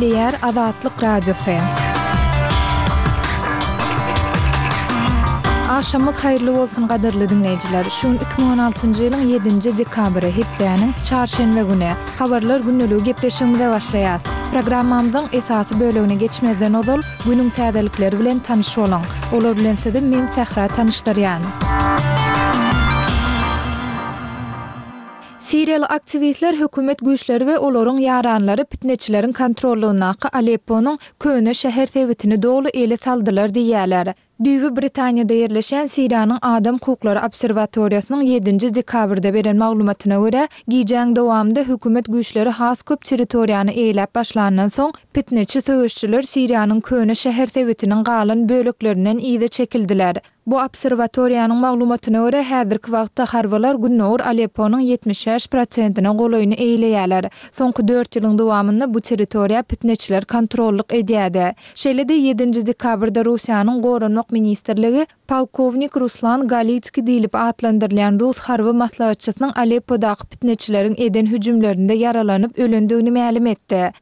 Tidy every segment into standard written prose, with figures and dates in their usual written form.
Gepleýär Azatlyk Radiosy. Agşamyňyz haýyrly bolsun gadyrly diňleýjiler. Şu gün 2016-njy ýylyň ýedinji dekabry, hepdäniň çarşenbe güni. Habarlar gündeligi gepleşigimize başlaýas. Programmamyzyň esasy bölegine geçmezden ozal, günüň täzelikleri bilen tanyş boluň. Olar bilen sizi men Sähra tanyşdyrýan. Siriýaly aktiwistler hökümet güýçleri we olaryň ýaranlary pitneçileriň kontrollygyndaky Alepponyň köne şäher sebitini doly ele saldylar diýýärler. Düýbi Britaniýada ýerleşýän Siriýanyň Adam hukuklary obserwatoriýasynyň ýedinji dekabrda beren maglumatyna görä, gijäň dowamynda hökümet güýçleri has köp territoriýany eýeläp başlandan soň, pitneçi söweşijiler Siriýanyň köne şäher sebitiniň galan böleklerinden yza çekildiler. Bu obserwatoriýanyň maglumatyna görä, häzirki wagtda harbylar gündogar Alepponyň 75 prosentine golaýyny eýeleýärler. Soňky dört ýylyň dowamynda bu territoriýa pitneçiler kontrollyk edýärdi. Şeýle-de, ýedinji dekabrda Russiýanyň Goranmak ministrligi polkownik Ruslan Galitskiý diýlip atlandyrylýan rus harby maslahatçysynyň Aleppodaky pitneçileriň eden hüjümlerinde ýaralanyp ölendigini mälim etdi.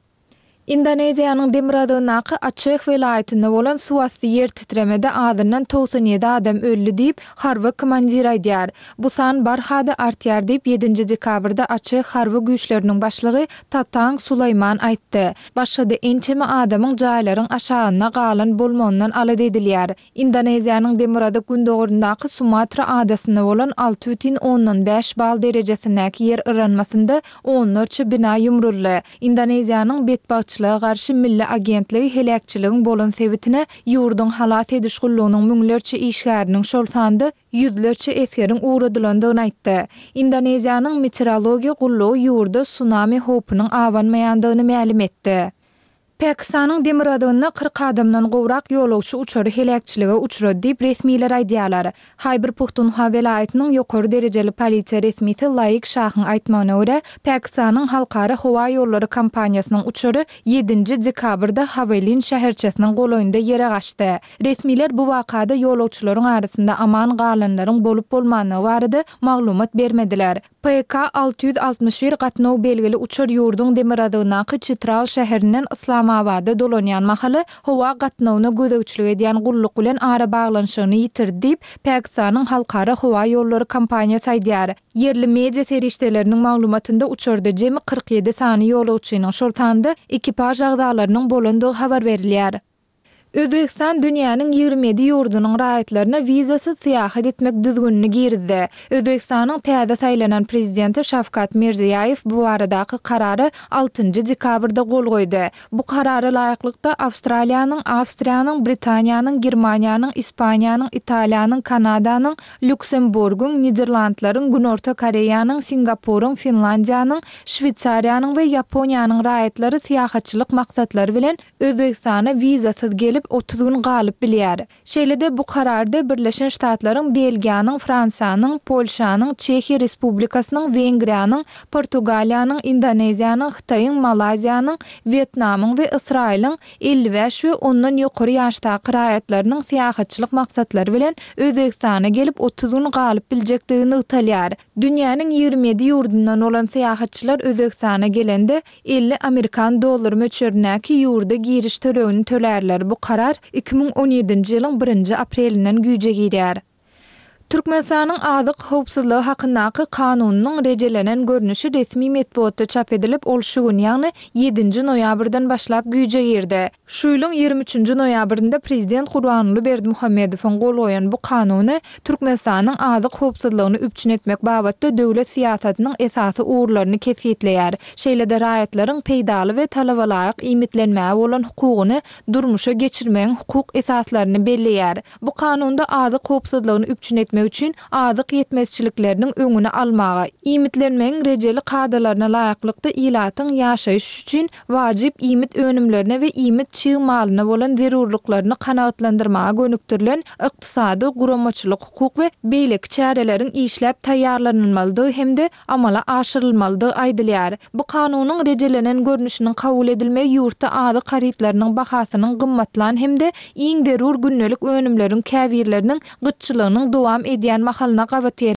Indoneziýanyň demirgazygyndaky Açeh welaýatynda bolan suwasty ýer titremede azyndan 97 adam öldi diýip, harby komandir aýdýar. Bu san barha-da artýar diýip, ýedinji dekabrda Açeh harby güýçleriniň başlygy Tatang Sulaýman aýtdy. Başga-da ençeme adamyň jaýlaryň aşagynda galan bolmagyndan alada edilýär. Indoneziýanyň demirgazyk-gündogaryndaky Sumatra adasynda bolan 6,5 bal derejesindäki ýer yranmasynda onlarça bina ýumruldy. Indoneziýanyň Betbagtçylyga garşy milli agentligi heläkçiligiň bolan sebitine ýurduň halas ediş gullugynyň müňlerçe işgäriniň, şol sanda ýüzlerçe esgeriň ugradylandygyny aýtdy. Indoneziýanyň Meteorologiýa gullugy ýurda sunami howpunyň abanmaýandygyny mälim etdi. Pakistanyň demirgazygynda 40 adamdan gowrak ýolagçy uçary heläkçilige uçrady diýip, resmiler aýdýarlar. Haýbir-Puhtunhwa welaýatynyň ýokary derejeli polisiýa resmisi Laik Şahyň aýtmagyna görä, Pakistanyň Halkara howa ýollary kompaniýasynyň uçary ýedinji dekabrda Hawelin şäherçesiniň golaýynda ýere gaçdy. Resmiler bu wakada ýolagçylaryň arasynda aman galanlaryň bolup-bolmandygy barada maglumat bermediler. PK 661 gatnaw belgili uçar ýurduň demirgazygyndaky Çitral şäherinden Yslamabada dolanýan mahaly howa gatnawyna gözegçilik edýän gulluk bilen arabaglanyşygyny ýitirdi diýip, Pakistanyň Halkara howa ýollary kompaniýasy aýdýar. Ýerli media serişdeleriniň maglumatynda uçarda jemi 47 sany ýolagçynyň, şol sanda ekipaž agzalarynyň bolandygy habar berilýär. Özbegistan dünýäniň 27 ýurdunyň raýatlaryna wizasyz syýahat etmek düzgünini girizdi. Özbegistanyň täze saýlanan prezidenti Şawkat Mirziýaýew bu baradaky karara altynjy dekabrda gol goýdy. Bu karara laýyklykda, Awstraliýanyň, Awstriýanyň, Britaniýanyň, Germaniýanyň, Ispaniýanyň, Italiýanyň, Kanadanyň, Lýuksemburgyň, Niderlandlaryň, Günorta Koreýanyň, Singapuryň, Finlandiýanyň, Şweýsariýanyň we Ýaponiýanyň raýatlary syýahatçylyk maksatlary bilen Özbegistana wizasyz gelip, 30 gün galyp bilýär. Şeýle-de bu kararda Birleşen Ştatlaryň, Belgiýanyň, Fransiýanyň, Polşanyň, Çehiýa Respublikasynyň, Wengriýanyň, Portugaliýanyň, Indoneziýanyň, Hytaýyň, Malaýziýanyň, Wýetnamyň we Ysraýylyň 55 we ondan ýokary ýaşdaky raýatlarynyň syýahatçylyk maksatlary bilen Özbegistana gelip 30 gün galyp biljekdigi nygtalýar. Dünýäniň 27 ýurdundan bolan syýahatçylar Özbegistana gelende 50 amerikan dollary möçberindäki ýurda giriş tölegini tölärler. Bu karar 2017-nji ýylyň birinji aprelinden güýje girýär. Türkmenistanyň Azyk howpsuzlygy hakyndaky Kanunynyň rejelenen görnüşi resmi metbugatda çap edilip, ol şu gün, ýagny ýedinji noýabrdan başlap güýje girdi. Şu ýylyň 23-nji noýabrynda prezident Gurbanguly Berdimuhamedowyň gol goýan bu Kanuny Türkmenistanyň azyk howpsuzlygyny üpjün etmek babatda döwlet syýasatynyň esasy ugurlaryny kesgitleýär, şeýle-de raýatlaryň peýdaly we talabalaýyk iýmitlenmäge bolan hukugyny durmuşa geçirmegiň hukuk esaslaryny belleýär. Bu Kanunda azyk howpsuzlygyny üpjün etmek üçin azyk ýetmezçilikleriniň öňüni almaga, iýmitlenmegiň rejeli kadalaryna laýyklykda ilatyň ýaşaýyş üçin wajyp iýmit önümlerine we iýmit çig malyna bolan zerurlyklaryny kanagatlandyrmaga gönükdirilen ykdysady, guramaçylyk-hukuk we beýleki çäreleriň işläp taýýarlanylmalydygy hem-de amala aşyrylmalydygy aýdylýar. Bu Kanunyň rejelenen görnüşiniň kabul edilmegi ýurtda azyk harytlarynyň bahasynyň gymmatlan hem-de iň zerur gündelik önümleriň käbirleriniň gytçylygynyň dowam edýän mahalyna gabat gelýär.